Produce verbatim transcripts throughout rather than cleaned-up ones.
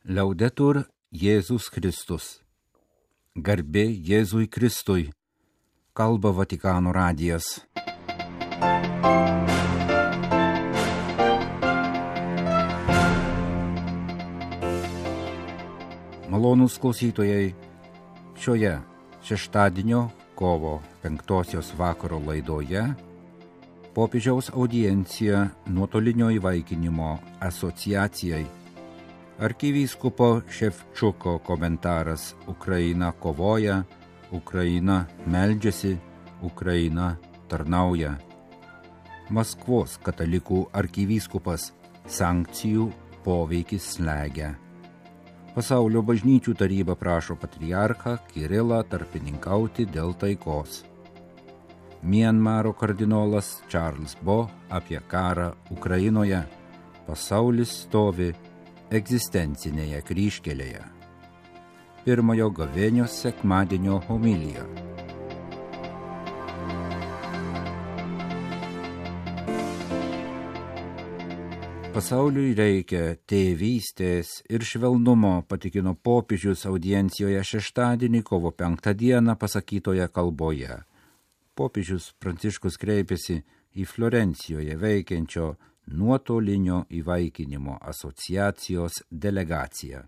Liaudetur Jėzus Kristus. Garbė Jėzui Kristui. Kalba Vatikano radijas. Malonūs klausytojai, šioje šeštadienio kovo penktosios vakaro laidoje popiežiaus audiencija nuotolinio įvaikinimo asociacijai. Arkivyskupo Ševčiuko komentaras Ukraina kovoja, Ukraina meldžiasi, Ukraina tarnauja. Maskvos katalikų arkivyskupas sankcijų poveikis slegia. Pasaulio bažnyčių taryba prašo patriarchą Kirilą tarpininkauti dėl taikos. Mianmaro kardinolas Charles Bo apie karą Ukrainoje. Pasaulis stovi egzistencinėje kryžkelėje. Pirmojo gavėnios sekmadienio homilija. Pasauliui reikia tėvystės ir švelnumo, patikino popiežius audiencijoje šeštadienį kovo penktą dieną pasakytoje kalboje. Popiežius Pranciškus kreipėsi į Florencijoje veikiančio nuotolinio įvaikinimo asociacijos delegaciją.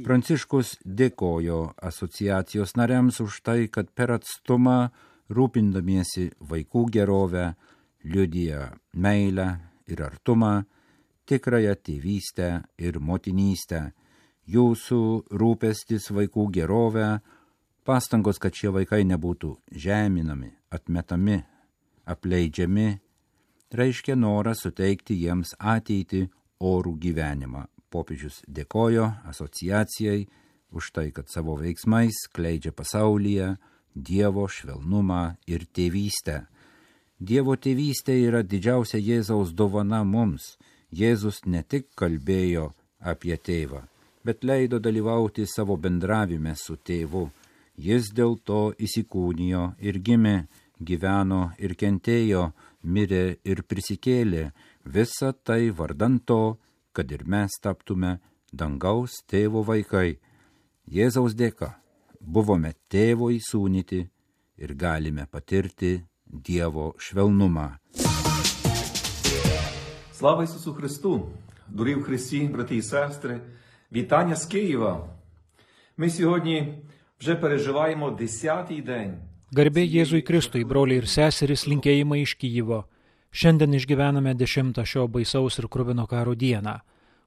Pranciškus dėkojo asociacijos nariams už tai, kad per atstumą rūpindamiesi vaikų gerovę, liudija meilę ir artumą, tikrąją tėvystę ir motinystę. Jūsų rūpestis vaikų gerovę, pastangos, kad šie vaikai nebūtų žeminami, atmetami, apleidžiami, reiškia norą suteikti jiems ateitį orų gyvenimą. Popiežius dėkojo asociacijai už tai, kad savo veiksmais skleidžia pasaulyje Dievo švelnumą ir tėvystę. Dievo tėvystė yra didžiausia Jėzaus dovana mums. Jėzus ne tik kalbėjo apie tėvą, bet leido dalyvauti savo bendravime su tėvu. Jis dėl to įsikūnijo ir gimė, gyveno ir kentėjo, mirė ir prisikėlė. Visa tai vardan to, kad ir mes taptume dangaus tėvo vaikai. Jėzaus dėka buvome tėvo įsūnyti ir galime patirti Dievo švelnumą. Слава Ісусу Христу! Дорогі в Христі, брати і сестри, вітання з Києва! Ми сьогодні вже переживаємо десятий день. Garbė Jėzui Kristui, broliai ir seserys, linkėjimai iš Kijevo. Šiandien išgyvename dešimtą šio baisaus ir kruvino karo dieną.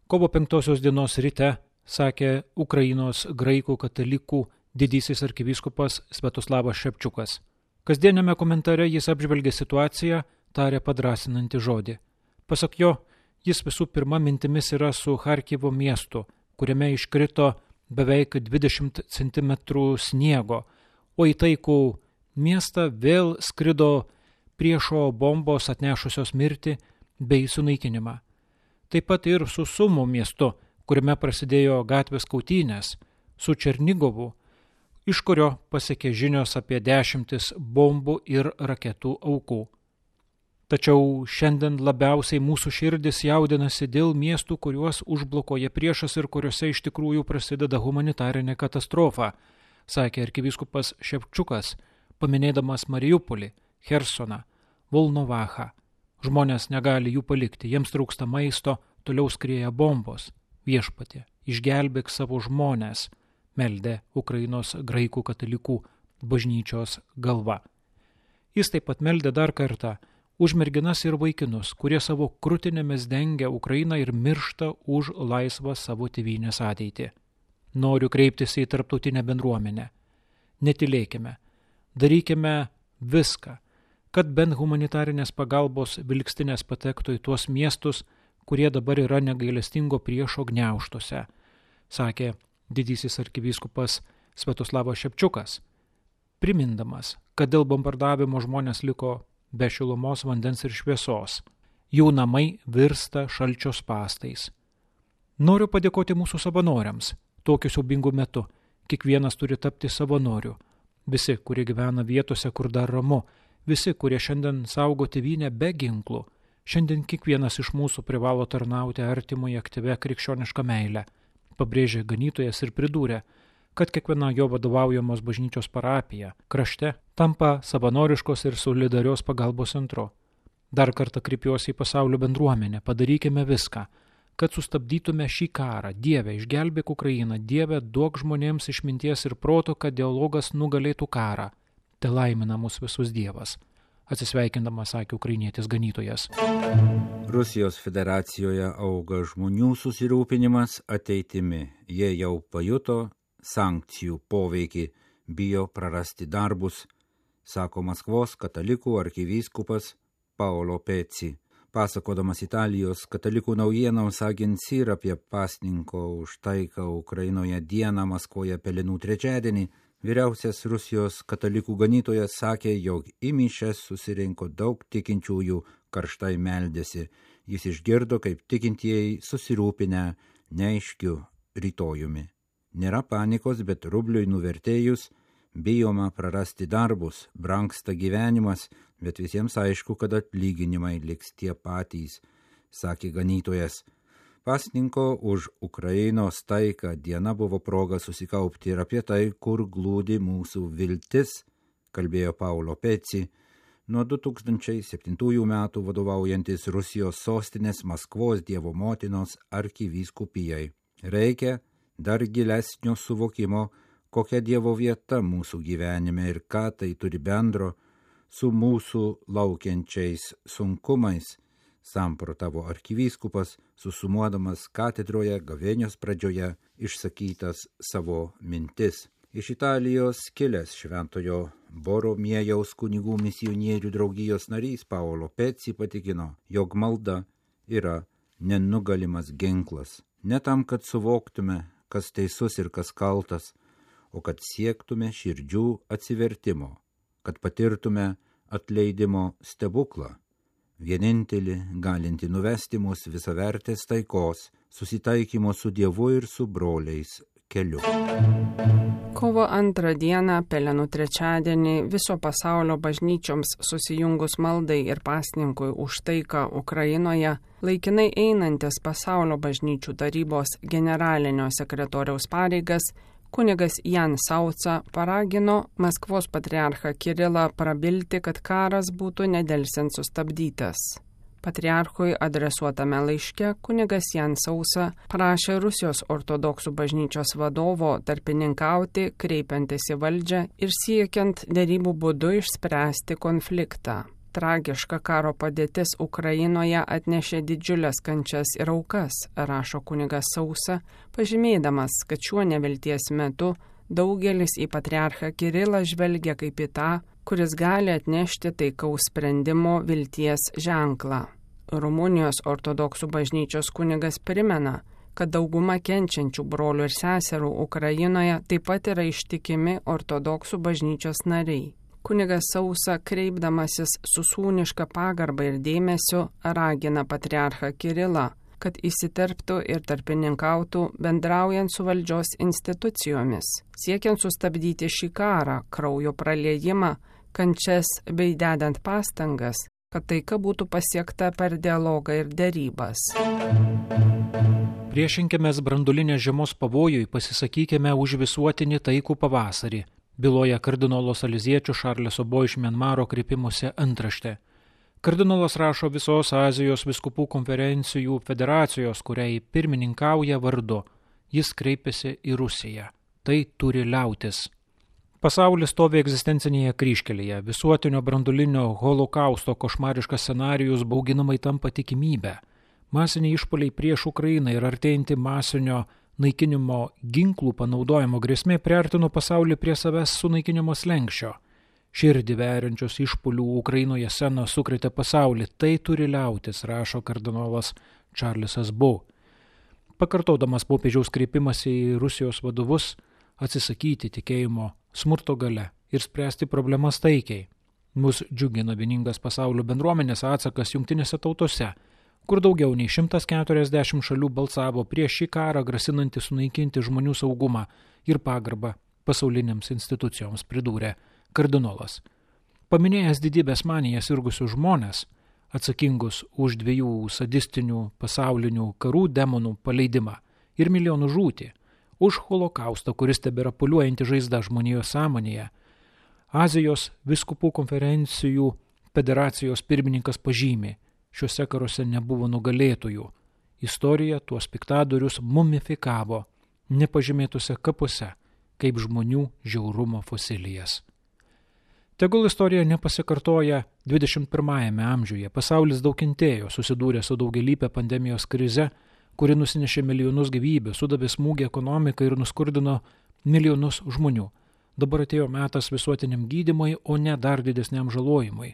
Kovo penktosios dienos ryte, sakė Ukrainos graikų katalikų didysis arkivyskupas Sviatoslavas Ševčiukas. Kasdieniame komentare jis apžvelgė situaciją, tarė padrąsinantį žodį. Pasak jo, jis visų pirma mintimis yra su Charkivo miestu, kuriame iškrito beveik dvidešimt centimetrų sniego, o į taikų miestą vėl skrido priešo bombos atnešusios mirtį bei sunaikinimą. Taip pat ir su Sumo miestu, kuriame prasidėjo gatvės kautynės, su Černigovu, iš kurio pasiekė žinios apie dešimtis bombų ir raketų aukų. Tačiau šiandien labiausiai mūsų širdis jaudinasi dėl miestų, kuriuos užblokuoja priešas ir kuriuose iš tikrųjų prasideda humanitarinė katastrofa, sakė arkivyskupas Ševčiukas, paminėdamas Mariupolį, Chersoną, Volnovachą. Žmonės negali jų palikti, jiems trūksta maisto, toliau skrieja bombos. Viešpatie, išgelbėk savo žmones, meldė Ukrainos graikų katalikų bažnyčios galva. Jis taip pat meldė dar kartą už merginas ir vaikinus, kurie savo krūtinėmis dengia Ukrainą ir miršta už laisvą savo tėvynės ateitį. Noriu kreiptis į tarptautinę bendruomenę. Netylėkime, darykime viską, kad bent humanitarinės pagalbos vilkstinės patektų į tuos miestus, kurie dabar yra negailestingo priešo gniaužtuose, sakė didysis arkivyskupas Sviatoslavas Ševčiukas, primindamas, kad dėl bombardavimo žmonės liko be šilumos, vandens ir šviesos. Jų namai virsta šalčio spąstais. Noriu padėkoti mūsų savanoriams. Tokiu siaubingu metu kiekvienas turi tapti savanoriu. Visi, kurie gyvena vietose, kur dar ramu, visi, kurie šiandien saugo tėvynę be ginklų, Šiandien kiekvienas iš mūsų privalo tarnauti artimui aktyvia krikščioniška meile, pabrėžė ganytojas ir pridūrė, kad kiekviena jo vadovaujamos bažnyčios parapija krašte tampa savanoriškos ir solidarios pagalbos centru. Dar kartą kreipiuosi į pasaulio bendruomenę, padarykime viską, kad sustabdytume šį karą. Dieve, išgelbėk Ukrainą, Dieve, duok žmonėms išminties ir proto, kad dialogas nugalėtų karą. Te laimina mus visus Dievas. Atsisveikindamas sakė ukrainietis ganytojas. Rusijos federacijoje auga žmonių susirūpinimas ateitimi. Jie jau pajuto sankcijų poveikį, bijo prarasti darbus, sako Maskvos katalikų arkivyskupas Paolo Peci. Pasakodamas Italijos katalikų naujienoms agencijai apie pasninko už taiką Ukrainoje dieną Maskvoje Pelenų trečiadienį, vyriausias Rusijos katalikų ganytojas sakė, jog į mišias susirinko daug tikinčiųjų, karštai meldėsi. Jis išgirdo, kaip tikintieji susirūpinę neaiškiu rytojumi. Nėra panikos, bet rubliui nuvertėjus, bijoma prarasti darbus, brangsta gyvenimas, bet visiems aišku, kad atlyginimai liks tie patys, sakė ganytojas. Pasninko už Ukrainos taiką diena buvo proga susikaupti ir apie tai, kur glūdi mūsų viltis, kalbėjo Paolo Peci, nuo du tūkstančiai septintųjų metų vadovaujantis Rusijos sostinės Maskvos Dievo motinos arkivyskupijai. Reikia dar gilesnio suvokimo, kokia Dievo vieta mūsų gyvenime ir ką tai turi bendro su mūsų laukiančiais sunkumais, samprotavo arkivyskupas, susumuodamas katedroje gavėnios pradžioje išsakytas savo mintis. Iš Italijos kilęs šventojo Boromiejaus kunigų misionierių draugijos narys Paolo Peci patikino, jog malda yra nenugalimas ginklas. Ne tam, kad suvoktume, kas teisus ir kas kaltas, o kad siektume širdžių atsivertimo, kad patirtume atleidimo stebuklą. Vienintelį galinti nuvesti mus visavertės taikos, susitaikymo su Dievu ir su broliais keliu. Kovo antrą dieną, Pelenų trečiadienį, viso pasaulio bažnyčioms susijungus maldai ir pasninkui už taiką Ukrainoje, laikinai einantis pasaulio bažnyčių tarybos generalinio sekretoriaus pareigas, kunigas Jan Sauca paragino Maskvos patriarchą Kirilą prabilti, kad karas būtų nedelsiant sustabdytas. Patriarchui adresuotame laiške kunigas Jan Sauca prašė Rusijos ortodoksų bažnyčios vadovo tarpininkauti, kreipiantis į valdžią ir siekiant derybų būdu išspręsti konfliktą. Tragiška karo padėtis Ukrainoje atnešė didžiulės kančias ir aukas, rašo kunigas Sauca, pažymėdamas, kad šiuo nevilties metu daugelis į patriarchą Kirilą žvelgia kaip į tą, kuris gali atnešti taikaus sprendimo vilties ženklą. Rumunijos ortodoksų bažnyčios kunigas primena, kad dauguma kenčiančių brolių ir seserų Ukrainoje taip pat yra ištikimi ortodoksų bažnyčios nariai. Kunigas Sauca, kreipdamasis su sūniška pagarba ir dėmesiu, ragina patriarchą Kirilą, kad įsiterptų ir tarpininkautų bendraujant su valdžios institucijomis, siekiant sustabdyti šį karą, kraujo praliejimą, kančias bei dedant pastangas, kad taika būtų pasiekta per dialogą ir derybas. Priešinkimės branduolinės žiemos pavojui, pasisakykime už visuotinį taikų pavasarį, byloja kardinolo saleziečių Šarleso Bo iš Mianmaro kreipimuose antraštė. Kardinolas rašo visos Azijos vyskupų konferencijų federacijos, kuriai pirmininkauja vardu. Jis kreipiasi į Rusiją. Tai turi liautis. Pasaulis stovi egzistencinėje kryžkelėje. Visuotinio branduolinio holokausto košmariškas scenarijus bauginamai tampa tikimybė. Masiniai išpuoliai prieš Ukrainą ir artėjanti masinio naikinimo ginklų panaudojimo grėsmė priartino pasaulį prie savęs sunaikinimo slenksčio. Širdį veriančios išpuolių Ukrainoje scenos sukrėtė pasaulį. Tai turi liautis, rašo kardinolas Čarlesas Bo. Pakartodamas popiežiaus kreipimąsi į Rusijos vadovus, atsisakyti tikėjimo smurto gale ir spręsti problemas taikiai. Mus džiugina vieningas pasaulio bendruomenės atsakas jungtinėse tautose, kur daugiau nei šimtas keturiasdešimt šalių balsavo prieš šį karą, grasinantį sunaikinti žmonių saugumą ir pagarbą pasaulinėms institucijoms, pridūrė kardinolas. Paminėjęs didybės maniją sirgusius žmonės, atsakingus už dviejų sadistinių pasaulinių karų demonų paleidimą ir milijonų žūtį, už holokaustą, kuris tebėra pūliuojanti žaizda žmonijos sąmonėje. Azijos vyskupų konferencijų federacijos pirmininkas pažymi, šiuose karuose nebuvo nugalėtojų. Istorija tuos piktadorius mumifikavo nepažymėtuose kapuose, kaip žmonių žiaurumo fosilijas. Tegul istorija nepasikartoja dvidešimt pirmajame amžiuje. Pasaulis daug kentėjo, susidūrė su daugialypė pandemijos krize, kuri nusinešė milijonus gyvybių, sudavė smūgį ekonomiką ir nuskurdino milijonus žmonių. Dabar atėjo metas visuotiniam gydymui, o ne dar didesniam žalojimui.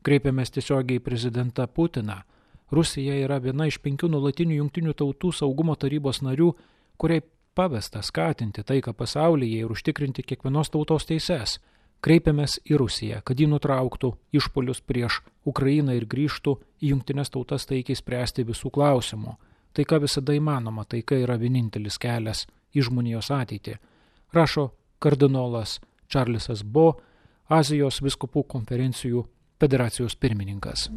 Kreipiamės tiesiogiai į prezidentą Putiną. Rusija yra viena iš penkių nuolatinių Jungtinių tautų saugumo tarybos narių, kuriai pavesta skatinti taiką pasaulyje ir užtikrinti kiekvienos tautos teises. Kreipiamės į Rusiją, kad ji nutrauktų išpuolius prieš Ukrainą ir grįžtų į Jungtines tautas taikiai spręsti visų klausimų. Taika visada įmanoma, taika yra vienintelis kelias į žmonijos ateitį, rašo kardinolas Čarlzas Bo, Azijos vyskupų konferencijų federacijos pirmininkas.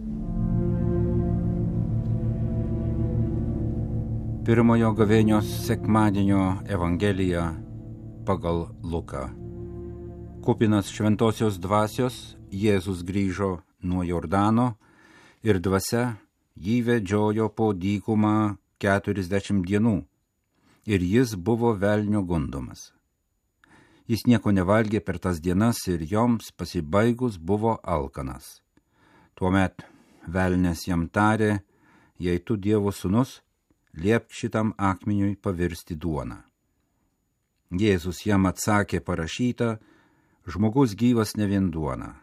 Pirmojo gavėnios sekmadienio Evangelija pagal Luką. Kupinas šventosios dvasios, Jėzus grįžo nuo Jordano ir dvasia jį vedžiojo po dykumą keturiasdešimt dienų, ir jis buvo velnio gundomas. Jis nieko nevalgė per tas dienas ir joms pasibaigus buvo alkanas. Tuomet velnias jam tarė, jei tu Dievo sūnus, liepk šitam akmeniui pavirsti duoną. Jėzus jam atsakė, parašyta, žmogus gyvas ne vien duona.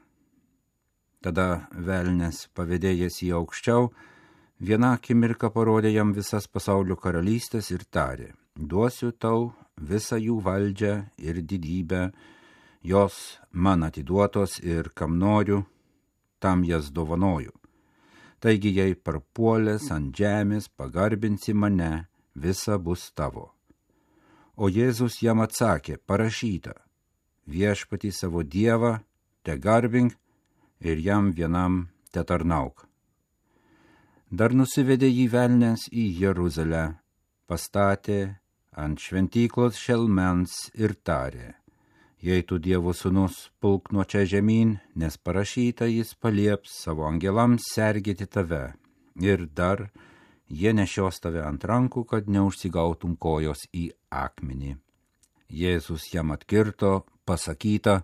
Tada velnias pavedėjęs į aukščiau, vieną akimirką parodė jam visas pasaulio karalystės ir tarė, duosiu tau visą jų valdžią ir didybę, jos man atiduotos ir kam noriu, tam jas dovanoju. Taigi, jei parpuolęs ant žemės pagarbinsi mane, visa bus tavo. O Jėzus jam atsakė, parašyta, viešpatį savo Dievą te garbink ir jam vienam te tarnauk. Dar nusivedė jį velnias į Jeruzalę, pastatė ant šventyklos šelmens ir tarė, jei tu Dievo sūnus, pulk nuo čia žemyn, nes parašyta jis palieps savo angelams sergėti tave, ir dar jie nešios tave ant rankų, kad neužsigautum kojos į akmenį. Jėzus jam atkirto, pasakyta,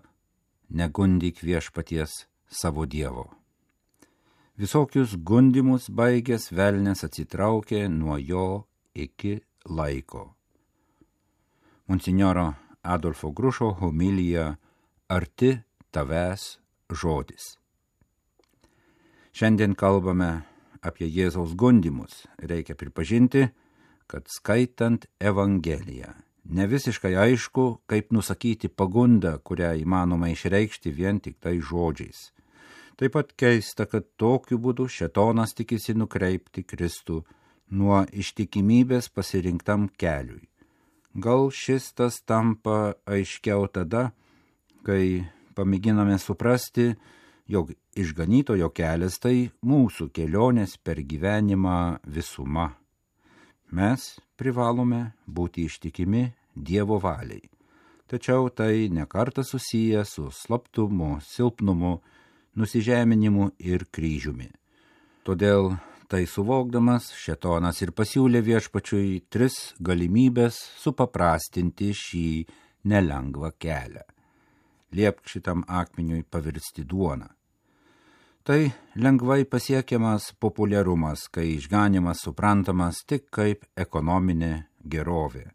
negundyk viešpaties savo Dievo. Visokius gundymus baigęs velnias atsitraukė nuo jo iki laiko. Monsinjoro Adolfo Grušo homilija Arti tavęs žodis. Šiandien kalbame apie Jėzaus gundymus. Reikia pripažinti, kad skaitant Evangeliją ne visiškai aišku, kaip nusakyti pagundą, kurią įmanoma išreikšti vien tik tai žodžiais. Taip pat keista, kad tokiu būdu šėtonas tikisi nukreipti Kristų nuo ištikimybės pasirinktam keliui. Gal šis tas tampa aiškiau tada, kai pamėginame suprasti, jog išganytojo kelias tai mūsų kelionės per gyvenimą visuma. Mes privalome būti ištikimi Dievo valiai, tačiau tai nekartą susiję su slaptumu, silpnumu, nusižeminimu ir kryžiumi. Todėl tai suvokdamas, šėtonas ir pasiūlė viešpačiui tris galimybės supaprastinti šį nelengvą kelią. Liepk šitam akmeniui pavirsti duoną. Tai lengvai pasiekiamas populiarumas, kai išganimas suprantamas tik kaip ekonominė gerovė.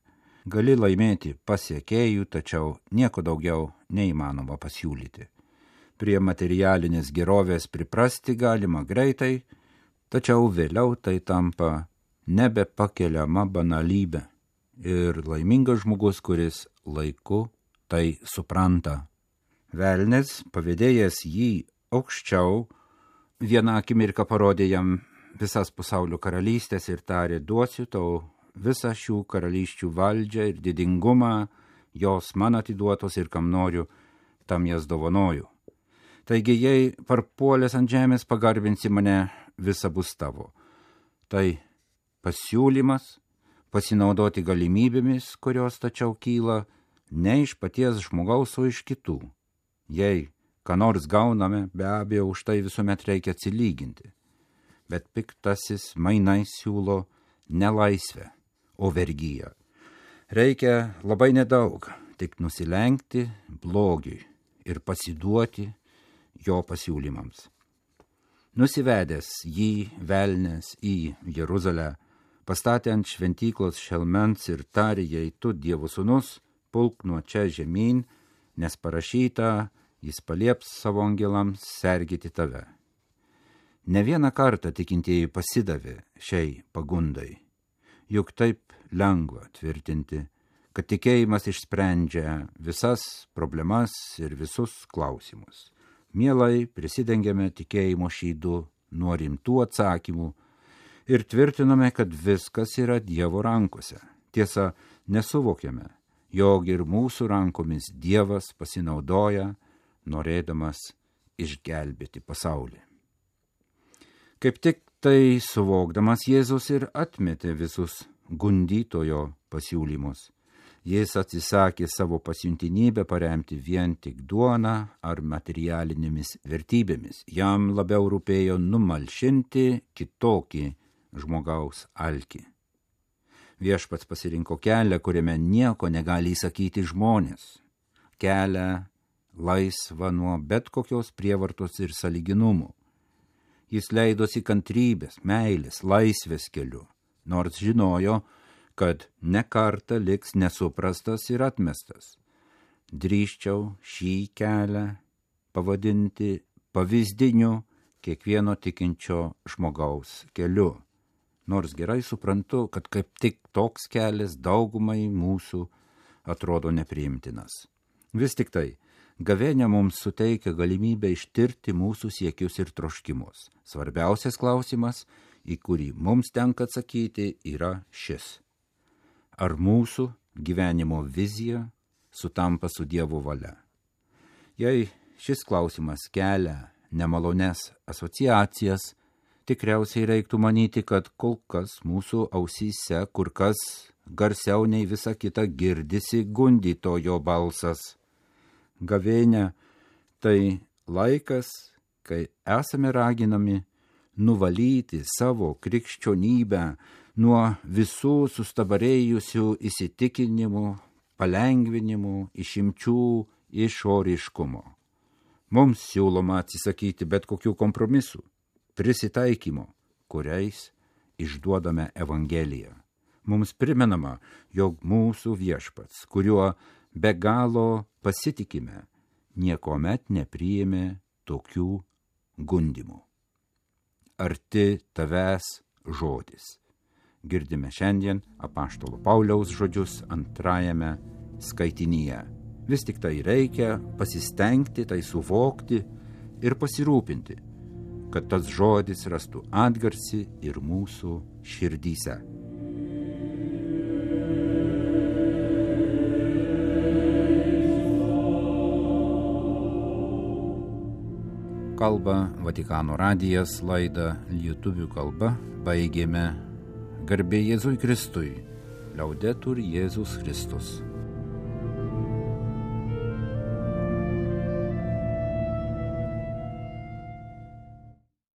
Gali laimėti pasiekėjų, tačiau nieko daugiau neįmanoma pasiūlyti. Prie materialinės gerovės priprasti galima greitai, tačiau vėliau tai tampa nebepakeliama banalybė ir laimingas žmogus, kuris laiku tai supranta. Velnis, pavedėjęs jį aukščiau, vieną akimirką parodė jam visas pasaulio karalystės ir tarė, duosiu tau visą šių karalysčių valdžią ir didingumą, jos man atiduotos ir kam noriu, tam jas dovanoju. Taigi, jei parpuolęs ant žemės pagarbinsi mane, visa bus tavo. Tai pasiūlymas pasinaudoti galimybėmis, kurios tačiau kyla ne iš paties žmogaus, o iš kitų. Jei ką nors gauname, be abejo, už tai visuomet reikia atsilyginti. Bet piktasis mainais siūlo ne laisvę, o vergyją. Reikia labai nedaug, tik nusilenkti blogiui ir pasiduoti jo pasiūlymams. Nusivedęs jį velnias į Jeruzalę, pastatė ant šventyklos šelmens ir tarė jai, tu Dievo sūnus, pulk nuo čia žemyn, nes parašyta, jis palieps savo angelams sergėti tave. Ne vieną kartą tikintieji pasidavė šiai pagundai, juk taip lengva tvirtinti, kad tikėjimas išsprendžia visas problemas ir visus klausimus. Mielai prisidengiame tikėjimo šydu nuo rimtų atsakymų ir tvirtiname, kad viskas yra Dievo rankose. Tiesa, nesuvokiame, jog ir mūsų rankomis Dievas pasinaudoja, norėdamas išgelbėti pasaulį. Kaip tik tai suvokdamas Jėzus ir atmetė visus gundytojo pasiūlymus. Jis atsisakė savo pasiuntinybę paremti vien tik duoną ar materialinėmis vertybėmis. Jam labiau rūpėjo numalšinti kitokį žmogaus alkį. Viešpats pasirinko kelią, kuriame nieko negali įsakyti žmonės. Kelią laisvą nuo bet kokios prievartos ir sąlyginumų. Jis leidosi kantrybės, meilės, laisvės keliu, nors žinojo, kad ne kartą liks nesuprastas ir atmestas. Drįsčiau šį kelią pavadinti pavyzdiniu kiekvieno tikinčio žmogaus keliu. Nors gerai suprantu, kad kaip tik toks kelias daugumai mūsų atrodo nepriimtinas. Vis tik tai, gavėnia mums suteikia galimybę ištirti mūsų siekius ir troškimus. Svarbiausias klausimas, į kurį mums tenka atsakyti, yra šis. Ar mūsų gyvenimo vizija sutampa su Dievo valia? Jei šis klausimas kelia nemalones asociacijas, tikriausiai reiktų manyti, kad kol kas mūsų ausyse kur kas garsiau nei visa kita girdisi gundytojo balsas. Gavėnia tai laikas, kai esame raginami nuvalyti savo krikščionybę nuo visų sustabarėjusių įsitikinimų, palengvinimų, išimčių, išoriškumo. Mums siūloma atsisakyti bet kokių kompromisų, prisitaikymo, kuriais išduodame Evangeliją. Mums primenama, jog mūsų viešpats, kuriuo be galo pasitikime, niekomet nepriėmė tokių gundymų. Arti tavęs žodis. Girdime šiandien apaštalo Pauliaus žodžius antrajame skaitinyje. Vis tik tai reikia pasistengti, tai suvokti ir pasirūpinti, kad tas žodis rastų atgarsį ir mūsų širdyse. Kalba Vatikano radijas, laidą lietuvių kalba baigėme. Garbė Jėzui Kristui, Laudetur Jėzus Kristus.